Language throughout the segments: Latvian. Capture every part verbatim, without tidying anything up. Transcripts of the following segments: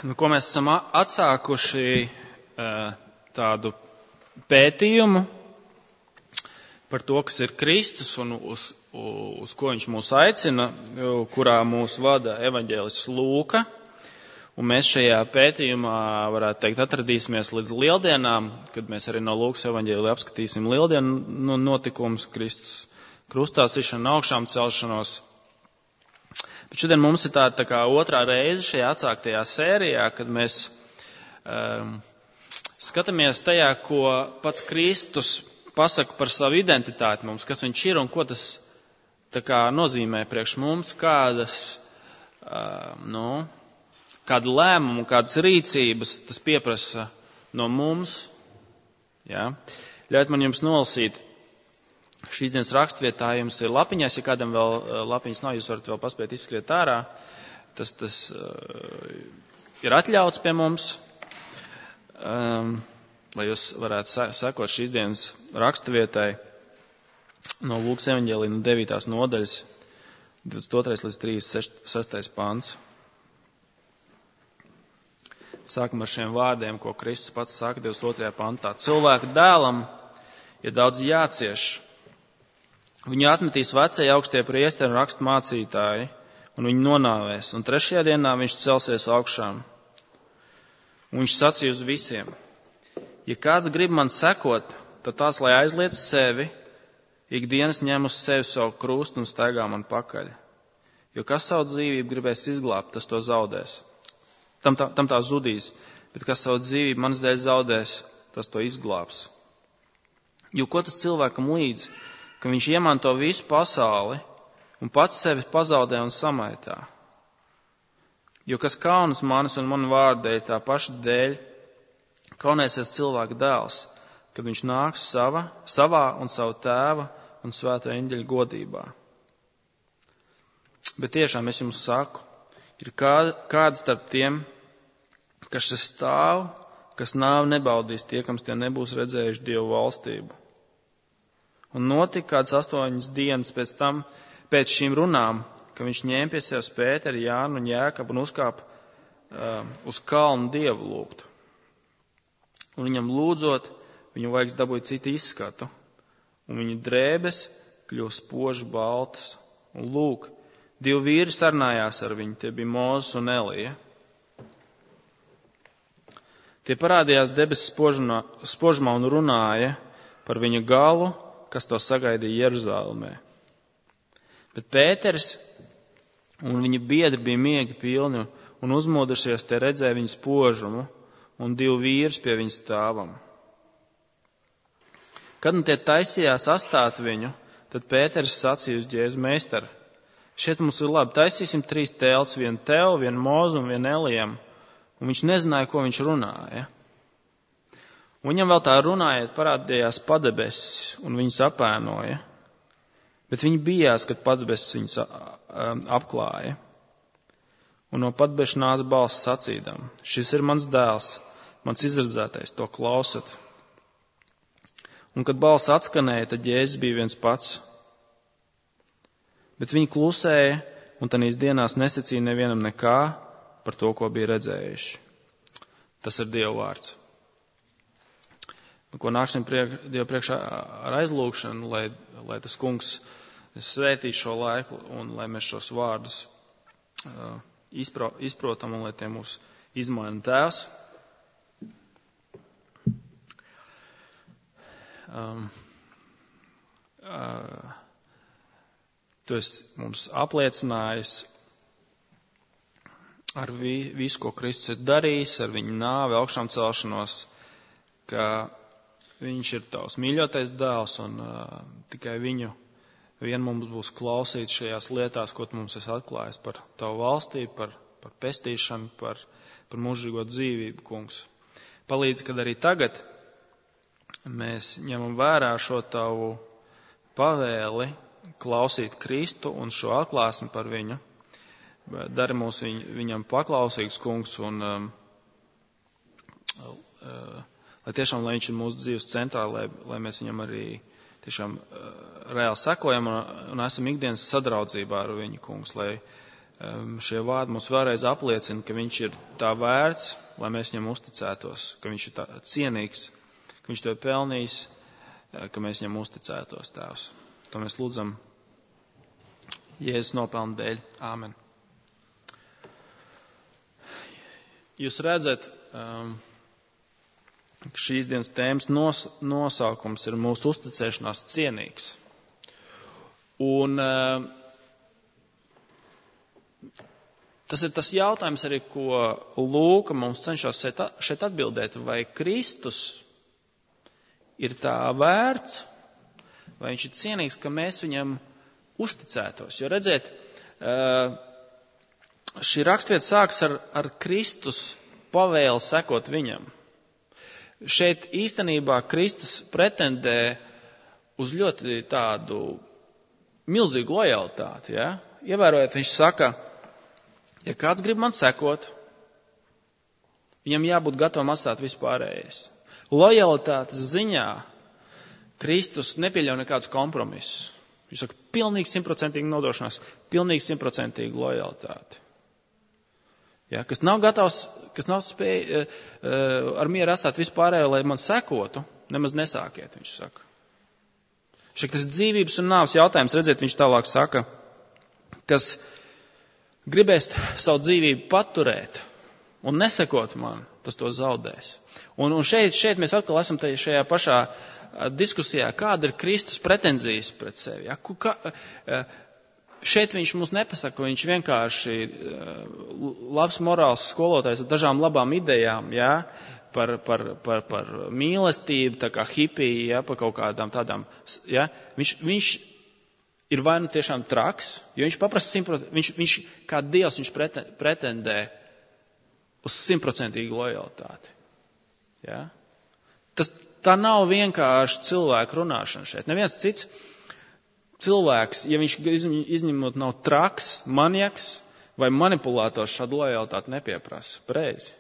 nu, ko mēs esam atsākuši tādu pētījumu par to, kas ir Kristus un uz, uz ko viņš mūs aicina, kurā mūs vada evaņģēlists Lūka. Un mēs šajā pētījumā, varētu teikt, atradīsimies līdz lieldienām, kad mēs arī no Lūkas evaņģēlija apskatīsim lieldienu notikumus, Kristus krustā sišanu, augšām celšanos. Bet šodien mums ir tā, tā kā otrā reize šajā atsāktajā sērijā, kad mēs um, skatāmies tajā, ko pats Kristus pasaka par savu identitāti mums, kas viņš ir un ko tas tā kā nozīmē priekš mums, kādas, um, nu, kādu lēmumu, kādas rīcības tas pieprasa no mums. Ja? Ļaujiet man jums nolasīt. Šīs dienas rakstvietā jums ir lapiņās, ja kādam vēl lapiņas nav, jūs varat vēl paspēt izskriet ārā. Tas, tas uh, ir atļauts pie mums, um, lai jūs varētu sekot šīs dienas rakstvietai no Lūkas evaņģēlija no devītās nodaļas, divdesmit otrais līdz trīsdesmit sestais pants. Sākam ar šiem vārdiem, ko Kristus pats saka divdesmit otrajā pantā. Cilvēka dēlam ir daudz jācieš. Viņu atmetīs vecie augstie priesteri un rakstu mācītāji, un viņu nonāvēs, un trešajā dienā viņš celsies augšām. Un viņš sacīja uz visiem, ja kāds grib man sekot, tad tās, lai aizliec sevi, ikdienas ņem uz sevi savu krustu un staigā man pakaļ. Jo kas savu dzīvību gribēs izglābt, tas to zaudēs. Tam tā, tam tā zudīs, bet kas savu dzīvību manas dēļ zaudēs, tas to izglābs. Jo ko tas cilvēkam līdz, ka viņš iemanto visu pasauli un pats sevi pazaudē un samaitā. Jo kas kaunas manis un manu vārdu dēļ, tā paša dēļ, kaunēsies cilvēka dēls, kad viņš nāks sava, savā un savu tēva un svēto eņģeļu godībā. Bet tiešām es jums saku, ir kāda, kāda starp tiem, kas šeit stāv, kas nāvi nebaudīs tie, kam tie nebūs redzējuši Dievu valstību. Un notika kāds astoņas dienas pēc tam, pēc šīm runām, ka viņš ņēma pie sevis Pēteru, Jānu un Jēkabu un uzkāpa uh, uz kalnu Dievu lūgt. Un viņam lūdzot, viņu vaigs dabūja citu izskatu, un viņa drēbes kļuva spoži baltas. Un lūk, divi vīri sarunājās ar viņu, tie bija Mūzes un Elija. Tie parādījās debesis spožumā un runāja par viņa galu, kas to sagaidīja Jeruzālēmē. Bet Pēters un viņa biedri bija miegi pilni un uzmodušies, tie redzēja viņu spožumu un divu vīrus pie viņa stāvam. Kad nu tie taisījās astāt viņu, tad Pēters sacīja uz Jēzu: Meister, šeit mums ir labi, taisīsim trīs telts, vienu tev, vienu Mūzu un vienu Elijam. Un viņš nezināja, ko viņš runāja. Un viņam vēl tā runājot, parādījās padebesis un viņus apēnoja. Bet viņi bijās, kad padebesis viņus apklāja. Un no padebeša nāca balss sacīdam: šis ir mans dēls, mans izredzētais, to klausat. Un kad balss atskanēja, tad Jēzus bija viens pats. Bet viņi klusēja un tanīs dienās nesacīja nevienam nekā par to, ko bija redzējuši. Tas ir Dieva vārds. Ko nāksim priek, Dievu priekšā ar aizlūgšanu, lai, lai tas kungs svētī šo laiku un lai mēs šos vārdus uh, izpro, izprotam un lai tie mūs izmaina Tēvs. Um, uh, tu esi mums apliecinājis ar vi, visu, ko Kristus ir darījis, ar viņa nāvi, augšām celšanos, ka viņš ir tavs mīļotais dēls un uh, tikai viņu vien mums būs klausīt šajās lietās, ko tu mums esi atklājis par tavu valstību, par, par pestīšanu, par, par mūžīgo dzīvību, kungs. Palīdz, kad arī tagad mēs ņemam vērā šo tavu pavēli klausīt Kristu un šo atklāsmi par viņu. Dari mūs viņ, viņam paklausīgs, kungs, un um, uh, lai tiešām, lai viņš ir mūsu dzīves centrā, lai, lai mēs viņam arī tiešām uh, reāli sekojam un, un esam ikdienas sadraudzībā ar viņu, kungs, lai, šie vārdi mums vēlreiz apliecina, ka viņš ir tā vērts, lai mēs viņam uzticētos, ka viņš ir tā cienīgs, ka viņš to ir pelnījis, ka mēs viņam uzticētos, Tēvs. To mēs lūdzam Jēzus nopelnu dēļ. Āmen. Jūs redzat, ka šīs dienas tēmas nos, nosaukums ir mūsu uzticēšanās cienīgs. Un tas ir tas jautājums arī, ko Lūka mums cenšas šeit atbildēt, vai Kristus ir tā vērts, vai viņš ir cienīgs, ka mēs viņam uzticētos. Jo redziet, šī rakstvieta sāks ar, ar Kristus pavēli sekot viņam. Šeit īstenībā Kristus pretendē uz ļoti tādu milzīgu lojalitāti. Ja? Ievērojot, viņš saka, ja kāds grib man sekot, viņam jābūt gatavam atstāt vispārējais. Lojalitātes ziņā Kristus nepieļauj nekādus kompromisus. Viņš saka, pilnīgi simtprocentīgi nodošanās, pilnīgi simtprocentīgi lojalitāti. Ja, kas nav gatavs, kas nav spēj uh, ar mieru atstāt vispārējo, lai man sekotu, nemaz nesākiet, viņš saka. Šeit tas dzīvības un nāves jautājums, redziet, viņš tālāk saka, kas gribēs savu dzīvību paturēt un nesekot man, tas to zaudēs. Un, un šeit, šeit mēs atkal esam šajā pašā diskusijā, kāda ir Kristus pretenzijas pret sevi. Ja? Ka, šeit viņš mums nepasaka, viņš vienkārši labs morāls skolotājs ar dažām labām idejām, ja? par, par, par, par mīlestību, tā kā hipija, ja? Par kaut kādām tādām. Ja? Viņš, viņš ir vai nu tiešām traks, jo viņš paprasta simtprocentīgi, viņš, viņš kā Dievs viņš pretendē uz simtprocentīgu lojalitāti. Ja? Tas, tā nav vienkārši cilvēku runāšana šeit. Neviens cits cilvēks, ja viņš izņemot nav traks, maniaks vai manipulātors, šādu lojalitāti nepieprasa. Pareizi.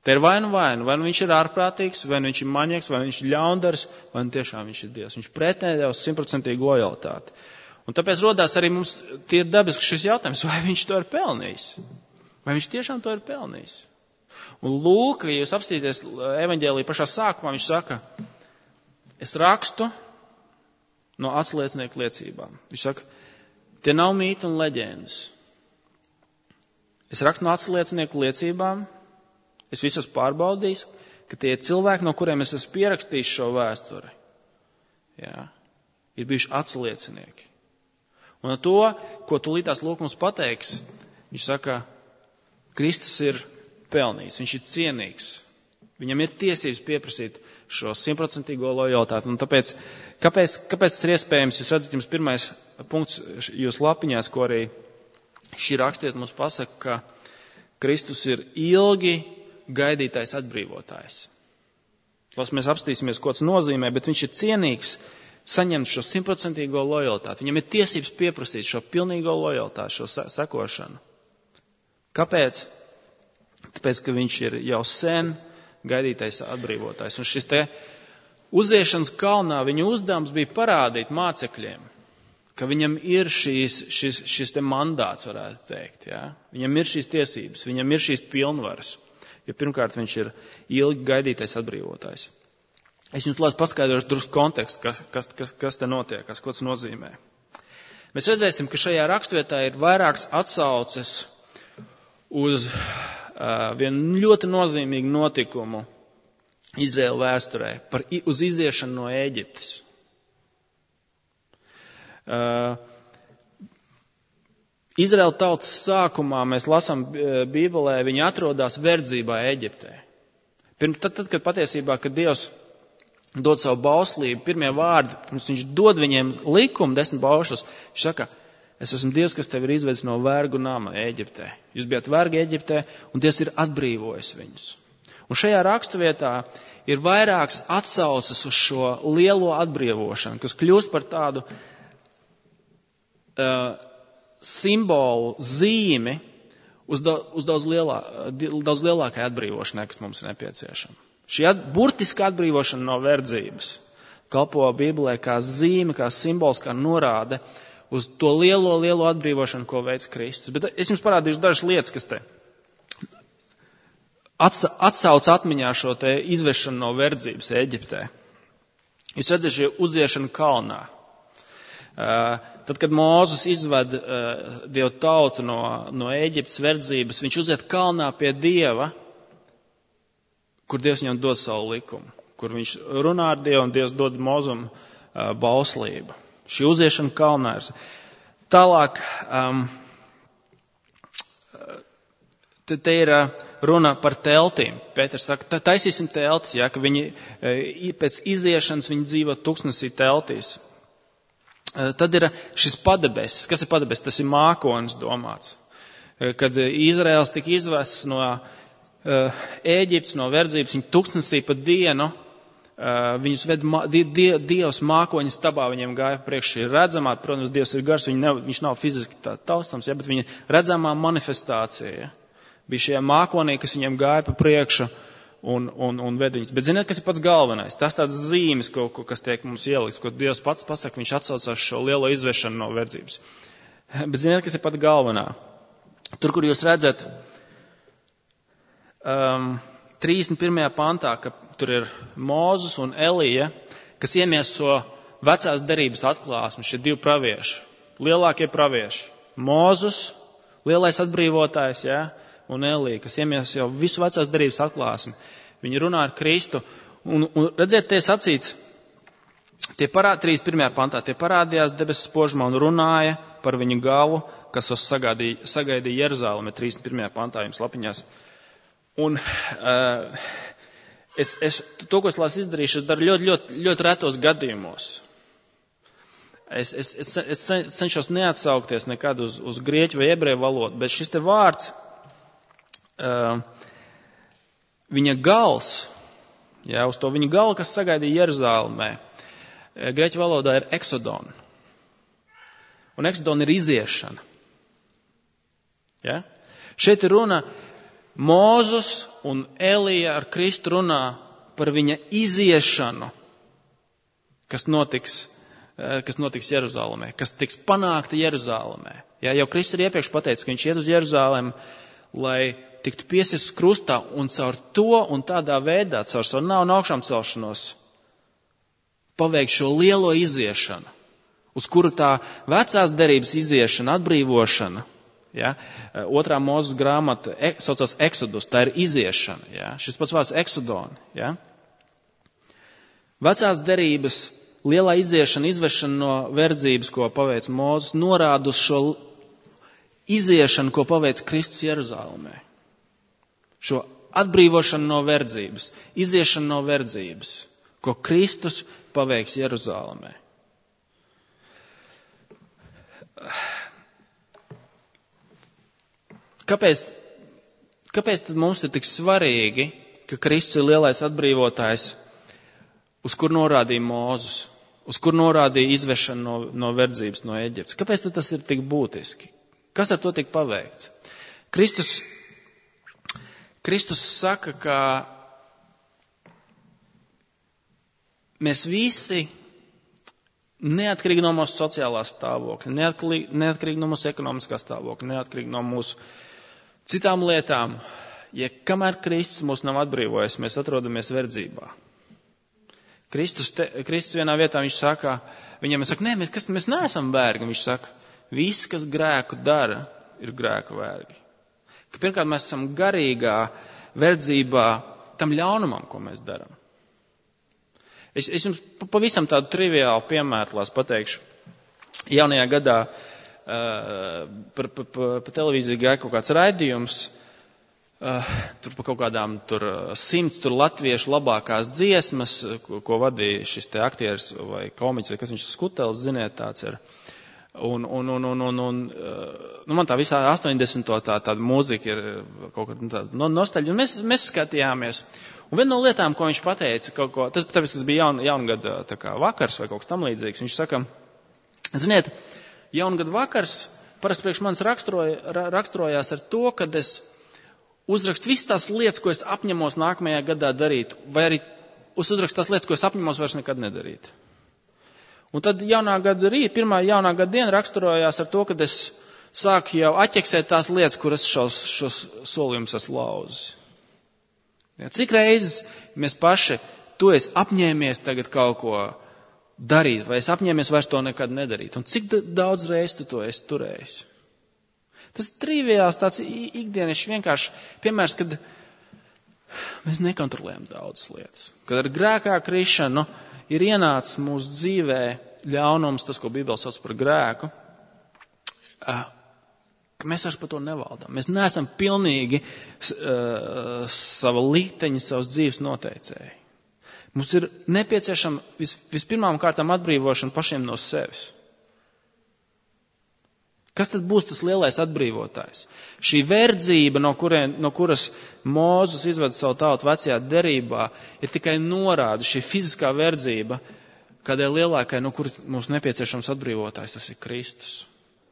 Te ir vai nu vai nu, vai nu viņš ir ārprātīgs, vai nu viņš ir maniaks, vai viņš ir ļaundaris, vai nu tiešām viņš ir Dievs. Viņš pretendē uz simtprocentīgu lojalitāti. Un tāpēc rodās arī mums tie dabiski šis jautājums, vai viņš to ir pelnījis. Vai viņš tiešām to ir pelnījis. Un Lūka, ja jūs apstīties evaņģēlija pašā sākumā, viņš saka, es rakstu no atsliecinieku liecībām. Viņš saka, tie nav mīti un leģendas. Es rakstu no atsliecinieku liecībām, es visus pārbaudījis, ka tie cilvēki, no kuriem es esmu pierakstījis šo vēsturi, jā, ir bijuši atsliecinieki. Un to, ko tūlītās Lūka mums pateiks, viņš saka, Kristus ir pelnījis, viņš ir cienīgs. Viņam ir tiesības pieprasīt šo simtprocentīgo lojalitāti. Un tāpēc, kāpēc, kāpēc tas ir iespējams? Jūs redzat, jums pirmais punkts jūs lapiņās, ko arī šī rakstiet mums pasaka, ka Kristus ir ilgi gaidītais atbrīvotājs. Lai mēs apstīsimies, ko tas nozīmē, bet viņš ir cienīgs saņemt šo simtprocentīgo lojalitāti. Viņam ir tiesības pieprasīt šo pilnīgo lojalitāti, šo sekošanu. Kāpēc? Tāpēc, ka viņš ir jau sen gaidītais atbrīvotājs. Un šis te uziešanas kalnā viņa uzdevums bija parādīt mācekļiem, ka viņam ir šīs, šis, šis te mandāts, varētu teikt. Ja? Viņam ir šīs tiesības, viņam ir šīs pilnvaras. Jo pirmkārt viņš ir ilgi gaidītais atbrīvotājs. Es jums lāc paskaidrošu drusku kontekstu, kas, kas, kas, kas te notiek, kas, ko tas nozīmē. Mēs redzēsim, ka šajā rakstvietā ir vairākas atsauces uz uh, vienu ļoti nozīmīgu notikumu Izraēla vēsturē, par, uz iziešanu no Ēģiptes. Uh, Izraēla tautas sākumā mēs lasām Bībelē, viņi atrodas verdzībā Ēģiptē. Pirms, tad, tad, kad patiesībā, kad Dievs dod savu bauslību, pirmie vārdi, pirms viņš dod viņiem likumu, desmit baušus, viņš saka, es esmu Dievs, kas tevi ir izvedis no vergu nama Ēģiptē. Jūs bijat vergi Ēģiptē, un Dievs ir atbrīvojis viņus. Un šajā raksturvietā ir vairākas atsauces uz šo lielo atbrīvošanu, kas kļūst par tādu uh, simbolu, zīmi uz, da, uz daudz, lielā, daudz lielākai atbrīvošanai, kas mums ir nepieciešama. Šī at, burtiska atbrīvošana no verdzības kalpo Bībelē kā zīme, kā simbols, kā norāde uz to lielo, lielo atbrīvošanu, ko veids Kristus. Bet es jums parādīšu dažas lietas, kas te atsauc atmiņā šo te izvešanu no verdzības Eģiptē. Jūs redzat, šī uziešana kalnā. Tad, kad Mūzes izved Dievu tautu no, no Eģiptes verdzības, viņš uziet kalnā pie Dieva, kur Dievs viņam dod savu likumu, kur viņš runā ar Dievu un Dievs dod Mūzum bauslību. Šī uziešana kalnā ir. Tālāk, um, te, te ir runa par teltīm. Pēters saka, taisīsim teltis, ja, ka viņi pēc iziešanas viņi dzīvo tuksnesī teltīs. Tad ir šis padebesis. Kas ir padebesis? Tas ir mākonis domāts. Kad Izraels tika izvests no Ēģiptes, no verdzības, viņi tuksnesī pa dienu, viņus ved Dievs mākoņa stabā, viņiem gāja priekš šī redzamā, protams, Dievs ir gars, ne, viņš nav fiziski tā taustams, ja, bet viņa redzamā manifestācija, ja, bija šie mākonī, kas viņiem gāja pa priekšu un, un, un ved viņus. Bet ziniet, kas ir pats galvenais? Tas tāds zīmes, ko, ko, kas tiek mums ieliks, ko Dievs pats pasaka, viņš atsaucās šo lielo izvešanu no verdzības. Bet ziniet, kas ir pat galvenā? Tur, kur jūs redzat, um, trīsdesmit pirmajā pantā, ka tur ir Mūzes un Elija, kas iemieso vecās derības atklāsmi, šie divi pravieši, lielākie pravieši. Mūzes, lielais atbrīvotājs, ja, un Elija, kas iemieso jau visu vecās derības atklāsmi. Viņi runā ar Kristu. Un, un redziet, tie sacīts, tie parād, trīsdesmit pirmajā pantā, tie parādījās debesis spožumā un runāja par viņu galvu, kas uz sagaidīja, sagaidīja Jeruzālemi, trīsdesmit pirmajā pantā jums lapiņās. Un uh, es, es, to, ko es lās izdarīšu, es daru ļoti, ļoti, ļoti retos gadījumos. Es, es, es, es cenšos neatsaukties nekad uz, uz grieķu vai ebreju valodu, bet šis te vārds, uh, viņa gals, jā, uz to viņa galu, kas sagaidīja Jeruzālemē, grieķu valodā ir eksodon. Un eksodon ir iziešana. Ja? Šeit ir runa, Mūzes un Elija ar Kristu runā par viņa iziešanu, kas notiks, kas notiks Jeruzālemē, kas tiks panākta Jeruzālemē. Ja, jau Kristus ir iepriekš pateicis, ka viņš iet uz Jeruzālemi, lai tiktu piesists krustā un caur to un tādā veidā, caur savu nāvu un augšām celšanos, paveikt šo lielo iziešanu, uz kuru tā vecās derības iziešana, atbrīvošana, ja, otrā Mūzes grāmata saucās Exodus, tā ir iziešana, ja, šis pats vārds eksodoni, ja. Vecās derības lielā iziešana, izvešana no verdzības, ko paveic Mūzes, norāda uz šo iziešanu, ko paveic Kristus Jeruzālemē. Šo atbrīvošanu no verdzības, iziešanu no verdzības, ko Kristus paveiks Jeruzālemē. Kāpēc, kāpēc tad mums ir tik svarīgi, ka Kristus ir lielais atbrīvotājs, uz kur norādīja Mūzes, uz kur norādīja izvešanu no, no verdzības, no Eģiptes? Kāpēc tad tas ir tik būtiski? Kas ar to tik paveikts? Kristus, Kristus saka, ka mēs visi, neatkarīgi no mūsu sociālā stāvokļa, neatkarīgi, neatkarīgi no mūsu ekonomiskā stāvokļa, neatkarīgi no mūsu citām lietām, ja kamēr Kristus mūs nav atbrīvojis, mēs atrodamies verdzībā. Kristus, te, Kristus vienā vietā viņš saka, viņam saka, nē, mēs, kas, mēs neesam vergi. Viņš saka, visi, kas grēku dara, ir grēku vergi. Ka pirmkārt, mēs esam garīgā verdzībā tam ļaunumam, ko mēs darām. Es, es jums pavisam tādu triviālu piemēru lās pateikšu. Jaunajā gadā uh, par pa, pa, pa televīziju gāja kaut kāds raidījums, uh, tur pa kaut kādām tur simts tur latviešu labākās dziesmas, ko, ko vadīja šis te aktieris vai komiķis, vai kas viņš Skutelis, ziniet, tāds ir. Un, un, un, un, un, un nu man tā visā astoņdesmito tā, tāda mūzika ir kaut kāda tāda nostalģija, un mēs, mēs skatījāmies. Un viena no lietām, ko viņš pateica, kaut ko, tas, tāpēc tas bija jaun, jaungada tā kā vakars vai kaut kas tam līdzīgs, viņš saka, ziniet, jaungada vakars parasti priekš manis raksturoja, raksturojās ar to, kad es uzrakstu visas tās lietas, ko es apņemos nākamajā gadā darīt, vai arī uzrakstu tās lietas, ko es apņemos vairs nekad nedarīt. Un tad jaunā gada rīt, pirmā jaunā gada diena raksturojās ar to, kad es sāku jau atķeksēt tās lietas, kuras šos, šos solījumus esmu lauzis. Ja, cik reizes mēs paši, tu esi apņēmies tagad kaut ko darīt, vai es apņēmies vairs to nekad nedarīt. Un cik daudz reizes tu to esi turējis? Tas triviāls tāds ikdienišs vienkārši piemērs, kad mēs nekontrolējam daudzas lietas. Kad ar grēkā krišanu ir ienācis mūsu dzīvē ļaunums, tas, ko Bībele sauc par grēku, ka mēs vairs par to nevaldām. Mēs neesam pilnīgi uh, sava likteņa, savas dzīves noteicēji. Mums ir nepieciešama vis, vispirmām kārtām atbrīvošana pašiem no sevis. Kas tad būs tas lielais atbrīvotājs? Šī verdzība, no, kurien, no kuras Mūzes izveda savu tautu vecajā derībā, ir tikai norāde, šī fiziskā verdzība, kādai lielākai, no kuras mums nepieciešams atbrīvotājs, tas ir Kristus.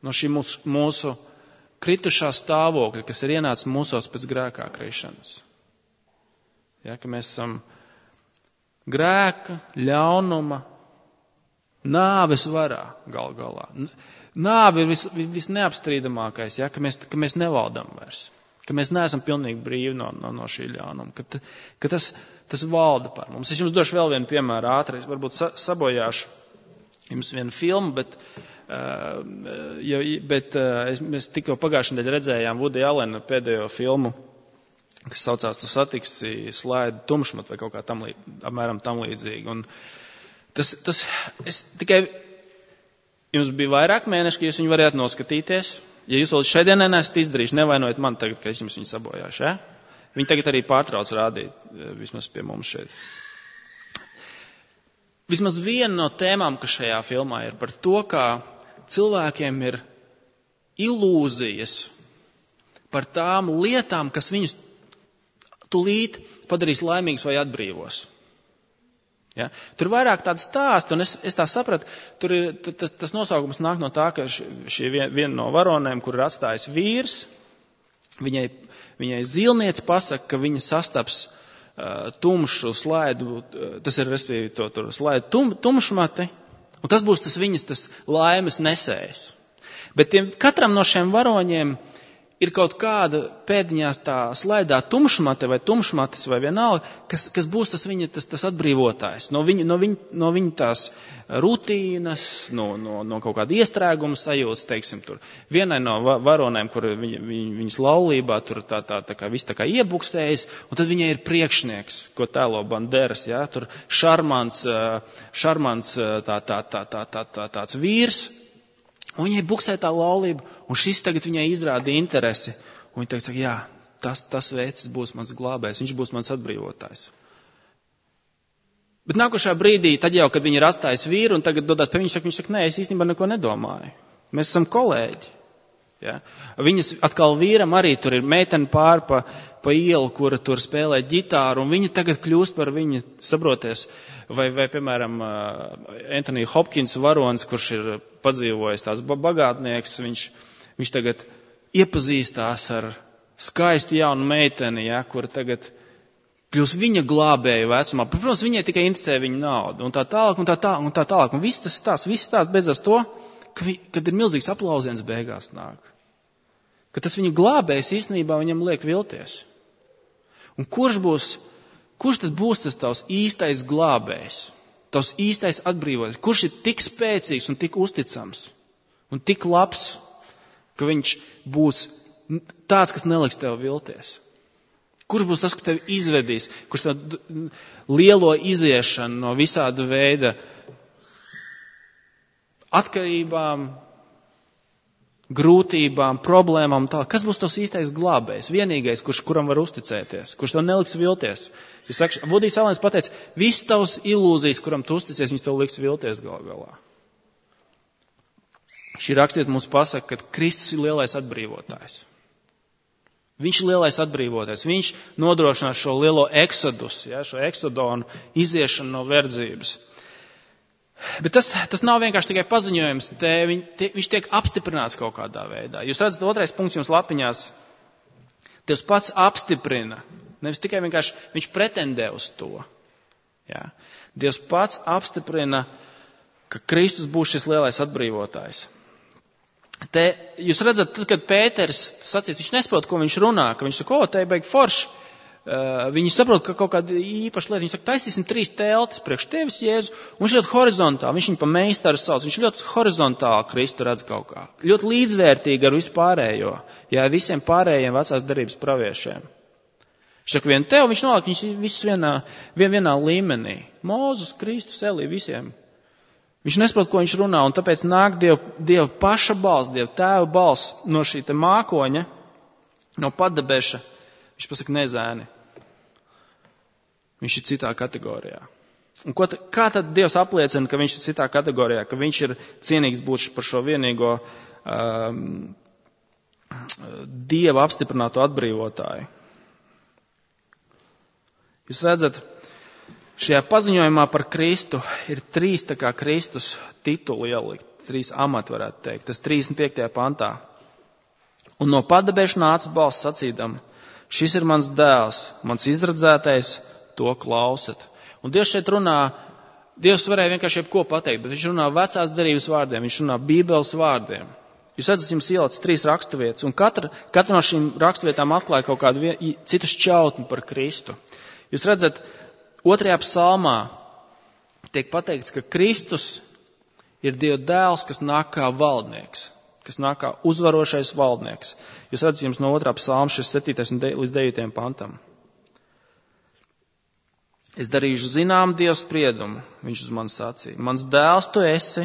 No šī mūsu, mūsu kritušā stāvokļa, kas ir ienācis mūsos pēc grēkā krišanas. Ja, ka mēs esam grēka, ļaunuma, nāves varā gal galā. Nāve ir vis, vis neapstrīdamākais, ja, ka, mēs, ka mēs nevaldam vairs, ka mēs neesam pilnīgi brīvi no, no, no šī ļaunuma, ka, ka tas, tas valda par mums. Es jums došu vēl vienu piemēru ātri, es varbūt sa, sabojāšu jums vienu filmu, bet, uh, ja, bet uh, es, mēs tikko pagājušajā nedēļā redzējām Woody Allena pēdējo filmu, kas saucās Tu satiksi slaidu tumšmat vai kaut kā tam, apmēram tam līdzīgi. Un tas, tas, es tikai... Jums bija vairāk mēneši, ka jūs viņu varētu noskatīties. Ja jūs vēl šeit neesat izdarījuši, nevainojiet man tagad, ka es jums viņu sabojāšu. Ja? Viņi tagad arī pārtrauc rādīt, vismaz pie mums šeit. Vismaz viena no tēmām, kas šajā filmā ir par to, kā cilvēkiem ir ilūzijas par tām lietām, kas viņus tulīt padarīs laimīgus vai atbrīvos. Ja? Tur ir vairāk tādas stāsti, un es, es tā sapratu, tur ir, tas, tas nosaukums nāk no tā, ka šī viena no varonēm, kur ir atstājis vīrs, viņai, viņai zilniece pasaka, ka viņa sastaps uh, tumšu slaidu, uh, tas ir, respektīvi, to tur slaidu tum, tumšmati, un tas būs tas viņas tas laimes nesējs. Bet tiem, katram no šiem varoņiem ir kaut kāda pēdiņās tā slaidā tumšmate vai tumšmates vai vienalga, kas, kas būs tas viņa tas, tas atbrīvotājs. No viņa, no, viņa, no viņa tās rutīnas, no, no, no kaut kāda iestrēguma sajūtas, teiksim, tur. Vienai no varonēm, kur viņa, viņa, viņas laulībā tur tā, tā, tā kā viss tā kā iebukstējas, un tad viņai ir priekšnieks, ko tēlo Banderas, jā, tur šarmants, šarmants tā, tā, tā, tā, tā, tā, tāds vīrs. Un viņai buksē tā laulība, un šis tagad viņai izrāda interesi. Un viņa tagad saka, jā, tas, tas vecis būs mans glābējs, viņš būs mans atbrīvotājs. Bet nākošā brīdī, tad jau, kad viņa ir atstājis vīru, un tagad dodās pie viņa, saka, viņš saka, nē, es īstenībā neko nedomāju. Mēs esam kolēģi. Ja? Viņas atkal vīram arī tur ir meitene pār pa, pa ielu, kura tur spēlē ģitāru, un viņa tagad kļūst par viņu, sabroties, vai, vai piemēram, Anthony Hopkins varonis, kurš ir padzīvojis tās bagātnieks, viņš, viņš tagad iepazīstās ar skaistu jaunu meiteni, ja, kura tagad kļūst viņa glābēja vecumā. Protams, viņai tikai interesē viņa nauda, un tā tālāk, un tā tālāk, un tā tālāk. Un viss tas stāsts, viss stāsts beidzās to, ka vi, kad ir milzīgs aplausiens beigās nāk. Ka tas viņa glābējs īstenībā viņam liek vilties. Un kurš būs, kurš tad būs tas tavs īstais glābējs, tavs īstais atbrīvotājs? Kurš ir tik spēcīgs un tik uzticams un tik labs, ka viņš būs tāds, kas neliks tev vilties? Kurš būs tas, kas tevi izvedīs, kurš tev lielo iziešanu no visāda veida atkarībām, grūtībām, problēmām, tā. Kas būs tos īstais glābējs, vienīgais, kurš, kuram var uzticēties, kurš tev neliks vilties? Jūs saka, Vudijs Alens pateica, viss tavs ilūzijas, kuram tu uzticies, viņas tev liks vilties gal galā. Šī rakstiet mums pasaka, ka Kristus ir lielais atbrīvotājs. Viņš ir lielais atbrīvotājs. Viņš nodrošinās šo lielo eksodus, ja, šo eksodonu, iziešanu no verdzības. Bet tas, tas nav vienkārši tikai paziņojums, te, viņ, te, viņš tiek apstiprināts kaut kādā veidā. Jūs redzat, otrais punkts jums lapiņās, Dievs pats apstiprina, nevis tikai vienkārši viņš pretendē uz to. Jā. Dievs pats apstiprina, ka Kristus būs šis lielais atbrīvotājs. Te jūs redzat, tad, kad Pēters sacīs, viņš nesaprot, ko viņš runā, ka viņš saka, o, te beig forši. Uh, viņi saprot, ka kaut kāda īpaša lieta, viņš saka, taisīsim trīs teltis priekš tevis, Jēzu, un viņš ļoti horizontāli, viņš viņu pa meistaru sauc, viņš ļoti horizontāli Kristu redz kaut kā. Ļoti līdzvērtīgi ar visu pārējo, jā, visiem pārējiem vecās derības praviešiem. Viņš saka, vien tev, viņš nolāk, viņš visus vienā, vien, vienā līmenī. Mūzus, Kristus, Elī, visiem. Viņš nesaprot, ko viņš runā, un tāpēc nāk Dieva, Dieva paša balss, Dieva tēva balss no šī te mākoņa, no padabeša. Viņš pasaka, nezēni. Viņš ir citā kategorijā. Un ko, kā tad Dievs apliecina, ka viņš ir citā kategorijā, ka viņš ir cienīgs būt par šo vienīgo um, Dieva apstiprināto atbrīvotāju? Jūs redzat, šajā paziņojumā par Kristu ir trīs tā kā Kristus tituli ielikt, trīs amati varētu teikt, tas trīsdesmit piektajā pantā. Un no padabeša nāca balss sacīdam, šis ir mans dēls, mans izradzētais, to klausat. Un Dievs šeit runā, Dievs varēja vienkārši jebko pateikt, bet viņš runā vecās derības vārdiem, viņš runā Bībeles vārdiem. Jūs redzat, jums ielicis trīs raksturvietas, un katra, katra no šīm raksturvietām atklāja kaut kādu vien, citu šķautni par Kristu. Jūs redzat, otrajā psalmā tiek pateikts, ka Kristus ir Dieva dēls, kas nāk kā valdnieks, kas nāk kā uzvarošais valdnieks. Jūs redzat, jums no otrā psalma šis septītais līdz devītajam pantam. Es darīšu zinām Dieva spriedumu, viņš uz mani sacīja. Mans dēls tu esi,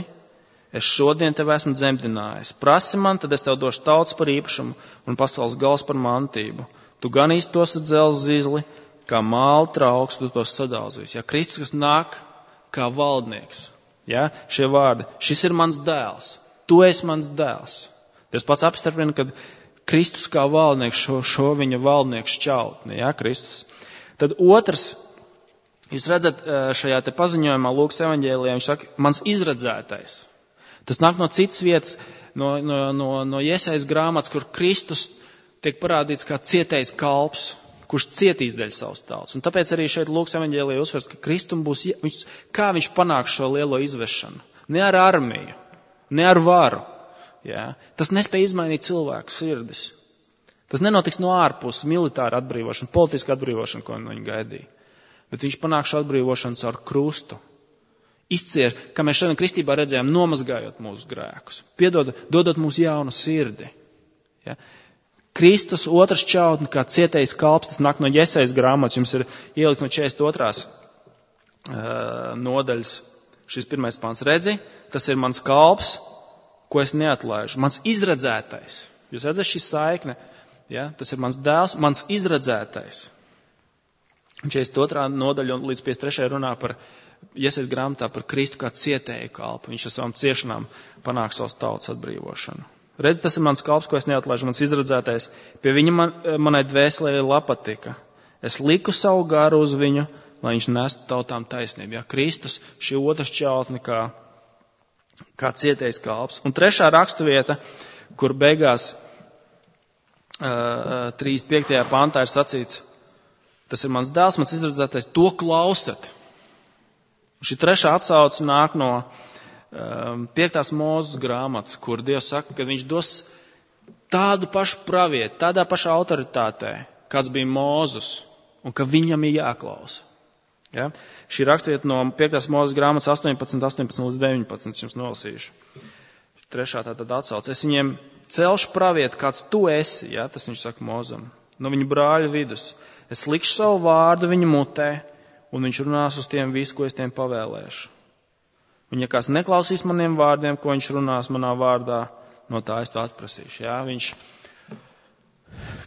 es šodien tev esmu dzemdinājis. Prasi man, tad es tev došu tautas par īpašumu un pasaules gals par mantību. Tu ganīsi tos ar dzelzs zizli, kā māla trauks, tu tos sadalzīs. Ja, Kristus, kas nāk kā valdnieks. Ja, šie vārdi. Šis ir mans dēls. Tu esi mans dēls. Dievs pats apstiprina, ka Kristus kā valdnieks šo, šo viņa valdnieku šķautni. Ja, Kristus. Tad otrs, jūs redzat šajā te paziņojumā Lūkas evaņģēlijā, viņš saka, mans izredzētais. Tas nāk no citas vietas, no, no, no, no Jesajas grāmatas, kur Kristus tiek parādīts kā cietējs kalps, kurš cietīs dēļ savas tautas. Un tāpēc arī šeit Lūkas evaņģēlijā uzsvers, ka Kristum būs, viņš, kā viņš panāks šo lielo izvešanu. Ne ar armiju, ne ar varu. Ja? Tas nespēja izmainīt cilvēku sirdis. Tas nenotiks no ārpuses, militāra atbrīvošana, politiska atbrīvošana, ko no viņa gaidīja. Bet viņš panāk šo atbrīvošanu caur krustu. Izcier, kā mēs šodien kristībā redzējām, nomazgājot mūsu grēkus. Piedod, dodot mums jaunu sirdi. Ja? Kristus otrs čautni, kā cietējs kalps, tas nāk no Jesajas grāmatas, jums ir ielikts no četrdesmit otrās uh, nodaļas šis pirmais pants. Redzi, tas ir mans kalps, ko es neatlaižu. Mans izredzētais. Jūs redzat šī saikne? Ja? Tas ir mans dēls, mans izredzētais. četrdesmit otrā nodaļa līdz piecdesmit trešajai runā par Jesajas grāmatā par Kristu kā cietēju kalpu. Viņš ar savām ciešanām panāk savas tautas atbrīvošanu. Redz, tas ir mans kalps, ko es neatlaižu, mans izredzētais. Pie viņa man, manai dvēselē ir lapatika. Es liku savu garu uz viņu, lai viņš nestu tautām taisnību. Ja, Kristus, šī otrs čautni kā, kā cietējs kalps. Un trešā raksturvieta, kur beigās uh, trīsdesmit piektajā pantā ir sacīts, tas ir mans dēls, mans izredzētais, to klausat. Šī trešā atsauce nāk no piektās Mūzes grāmatas, kur Dievs saka, ka viņš dos tādu pašu pravietu, tādā pašā autoritātē, kāds bija Mūzes, un ka viņam ir jāklausa. Ja? Šī rakstvieta no piektās Mūzes grāmatas astoņpadsmit, astoņpadsmit līdz deviņpadsmit, jums nolasīšu. Trešā tātad atsauce. Es viņiem celšu pravietu, kāds tu esi, ja? Tas viņš saka Mūzam, no viņa brāļa vidus. Es likšu savu vārdu viņa mutē, un viņš runās uz tiem visu, ko es tiem pavēlēšu. Un ja kāds neklausīs maniem vārdiem, ko viņš runās manā vārdā, no tā es to atprasīšu. Jā, viņš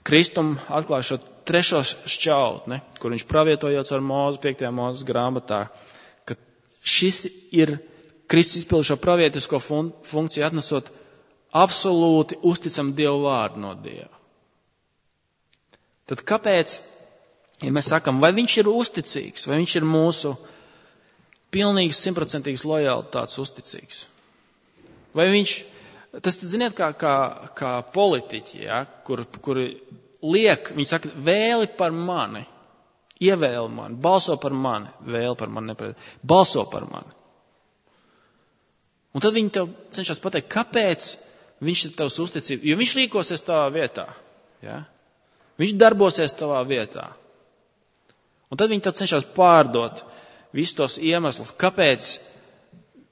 Kristum atklāja šo trešo šķautni, kur viņš pravietojot ar Mūzu piektajā Mūzes grāmatā, ka šis ir Kristus izpildu šo pravietisko fun- funkciju atnesot absolūti uzticam Dievu vārdu no Dieva. Tad kāpēc, ja mēs sakam, vai viņš ir uzticīgs, vai viņš ir mūsu pilnīgs, simtprocentīgs lojalitātes uzticīgs. Vai viņš, tas, ziniet, kā, kā, kā politiķi, ja, kur, kur liek, viņi saka, vēli par mani, ievēli mani, balso par mani, vēli par mani, nepred, balso par mani. Un tad viņi tev cenšas pateikt, kāpēc viņš ir tavs uzticība. Jo viņš rīkosies tavā vietā. Ja? Viņš darbosies tavā vietā. Un tad viņi tev cenšas pārdot visus tos iemeslus, kāpēc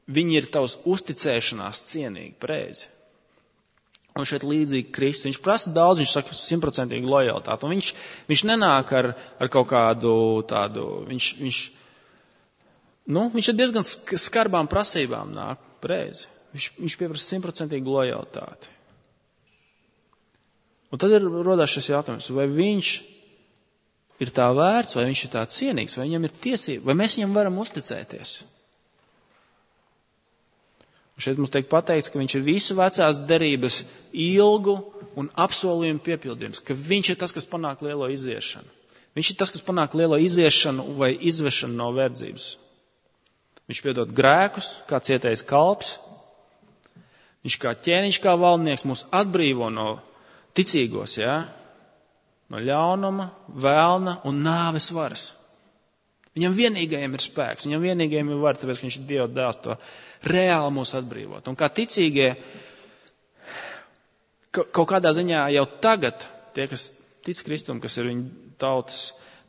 viņi ir tavs uzticēšanās cienīgi, pareizi. Un šeit līdzīgi Kristus. Viņš prasa daudz, viņš saka simtprocentīgi lojalitāti. Un viņš, viņš nenāk ar, ar kaut kādu tādu, viņš, viņš, nu, viņš ar diezgan skarbām prasībām nāk, pareizi. Viņš, viņš pieprasa simtprocentīgi lojalitāti. Un tad ir rodās šis jautājums, vai viņš ir tā vērts, vai viņš ir tā cienīgs, vai viņam ir tiesība, vai mēs viņam varam uzticēties. Un šeit mums tiek pateikts, ka viņš ir visu vecās derības ilgu un apsolījumu piepildījums, ka viņš ir tas, kas panāk lielo iziešanu. Viņš ir tas, kas panāk lielo iziešanu vai izvešanu no verdzības. Viņš piedod grēkus, kā cietējs kalps. Viņš kā ķēniņš, kā valdnieks mūs atbrīvo no ticīgos, jā, no ļaunuma, vēlna un nāves varas. Viņam vienīgajam ir spēks, viņam vienīgajam ir var, tāpēc, ka viņš ir Dieva dēls, to reāli mūs atbrīvot. Un kā ticīgie, kaut kādā ziņā jau tagad, tie, kas tic Kristum, kas ir viņa tautas,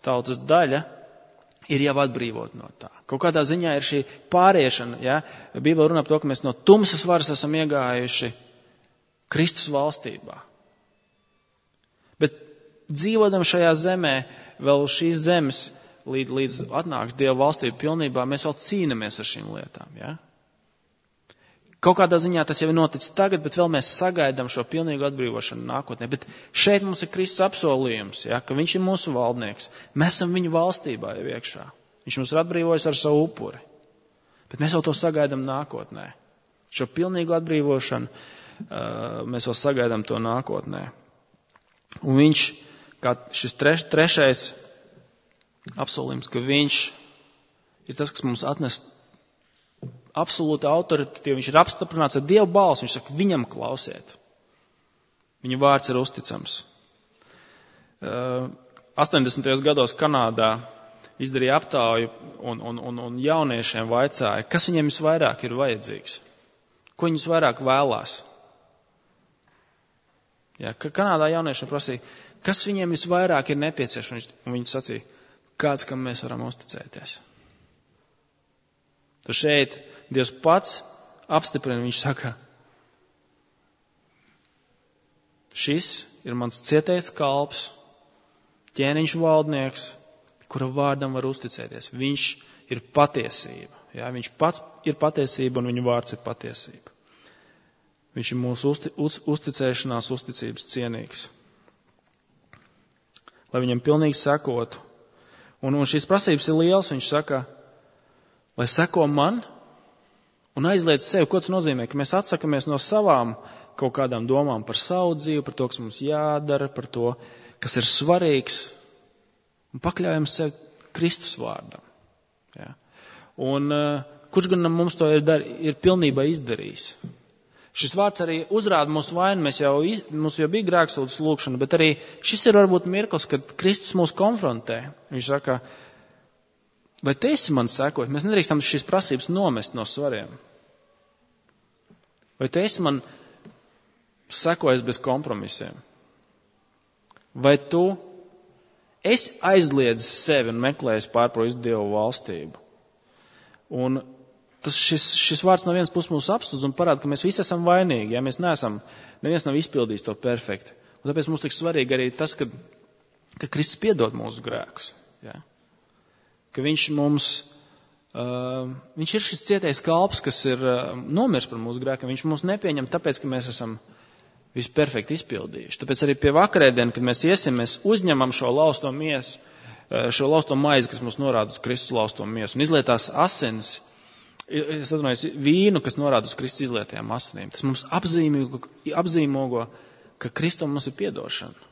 tautas daļa, ir jau atbrīvot no tā. Kaut kādā ziņā ir šī pāriešana, ja? Bībele runā par to, ka mēs no tumsas varas esam iegājuši Kristus valstībā. Bet dzīvodam šajā zemē, vēl šīs zemes, līdz, līdz atnāks Dieva valstība pilnībā, mēs vēl cīnamies ar šīm lietām. Ja? Kaut kādā ziņā tas jau ir noticis tagad, bet vēl mēs sagaidām šo pilnīgu atbrīvošanu nākotnē. Bet šeit mums ir Kristus apsolījums, ja? Ka viņš ir mūsu valdnieks. Mēs esam viņa valstībā jau iekšā. Viņš mums ir atbrīvojis ar savu upuri. Bet mēs vēl to sagaidām nākotnē. Šo pilnīgu atbrīvošanu uh, mēs vēl sagaidām to nākotnē. Un viņš, kā šis treš, trešais apsolījums, ka viņš ir tas, kas mums atnes absolūta autoritāti, viņš ir apstiprināts ar Dievu balsi, viņš saka, viņam klausiet. Viņa vārds ir uzticams. astoņdesmitajos gados Kanādā izdarīja aptauju un, un, un, un jauniešiem vaicāja, kas viņiem visvairāk ir vajadzīgs, ko viņi visvairāk vēlās. Ja, Kanādā jauniešiem prasīja, kas viņiem visvairāk ir nepieciešams, un viņi sacīja, kāds, kam mēs varam uzticēties. Tad šeit Dievs pats apstiprina, viņš saka, šis ir mans cietais kalps, ķēniņš valdnieks, kura vārdam var uzticēties. Viņš ir patiesība. Jā, viņš pats ir patiesība un viņa vārds ir patiesība. Viņš ir mūsu uzti, uz, uzticēšanās, uzticības cienīgs. Lai viņam pilnīgi sekotu. Un, un šīs prasības ir liels, viņš saka, lai seko man un aizliedz sevi. Ko tas nozīmē? Ka mēs atsakamies no savām kaut kādām domām par savu dzīvi, par to, kas mums jādara, par to, kas ir svarīgs, un pakļaujam sevi Kristus vārdam. Ja? Un uh, kurš gan mums to ir, dar, ir pilnībā izdarījis? Šis vārds arī uzrāda mūsu vainu, mēs jau, iz, mums jau bija grēksūdzes lūkšana, bet arī šis ir varbūt mirklis, kad Kristus mūs konfrontē. Viņš saka, vai tu esi man sekot? Mēs nedrīkstam šīs prasības nomest no svariem. Vai tu esi man sekojis bez kompromisiem? Vai tu esi aizliedzis sevi un meklējis pārproist Dievu valstību? Un tas, šis, šis vārds no vienas puses mūs apsūdz un parāda, ka mēs visi esam vainīgi. Ja? Mēs neesam, neviens nav izpildījis to perfekti. Un tāpēc mums tik svarīgi arī tas, ka, ka Kristus piedod mūsu grēkus. Ja? Ka viņš mums, uh, viņš ir šis cietais kalps, kas ir uh, nomirs par mūsu grēkiem. Viņš mūs nepieņem tāpēc, ka mēs esam visu perfekti izpildījuši. Tāpēc arī pie vakarēdienu, kad mēs iesim, mēs uzņemam šo lausto miesu, uh, šo lausto maizi, kas mums norāda uz Kristus lausto miesu. Un izlietās asinis, es atrunājos, vīnu, kas norāda uz Kristus izlietajām asinīm. Tas mums apzīmogo, apzīmogo, ka Kristum mums ir piedošana.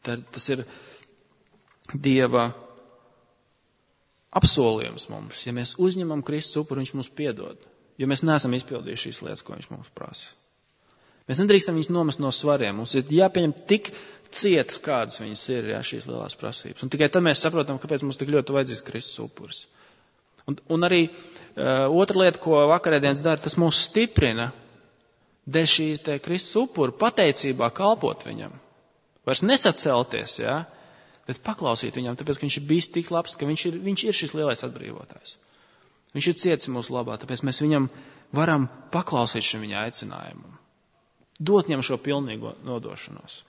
Tā, tas ir Dieva apsolījums mums. Ja mēs uzņemam Kristus upuri, viņš mums piedod. Jo mēs neesam izpildījuši šīs lietas, ko viņš mums prasa. Mēs nedrīkstam viņus nomest no svariem. Mums ir jāpieņem tik cietas, kādas viņas ir, jā, šīs lielās prasības. Un tikai tad mēs saprotam, kāpēc mums tik ļoti vajadzīgs Kristus upuris. Un, un arī uh, otra lieta, ko vakarēdienas dara, tas mūs stiprina dēļ šīs te Kristus upura pateicībā kalpot viņam. Vairs nesacelties, jā, bet paklausīt viņam, tāpēc, ka viņš ir bijis tik labs, ka viņš ir, viņš ir šis lielais atbrīvotājs. Viņš ir cietis mūsu labā, tāpēc mēs viņam varam paklausīt šim viņa aicinājumam. Dot viņam šo pilnīgo nodošanos.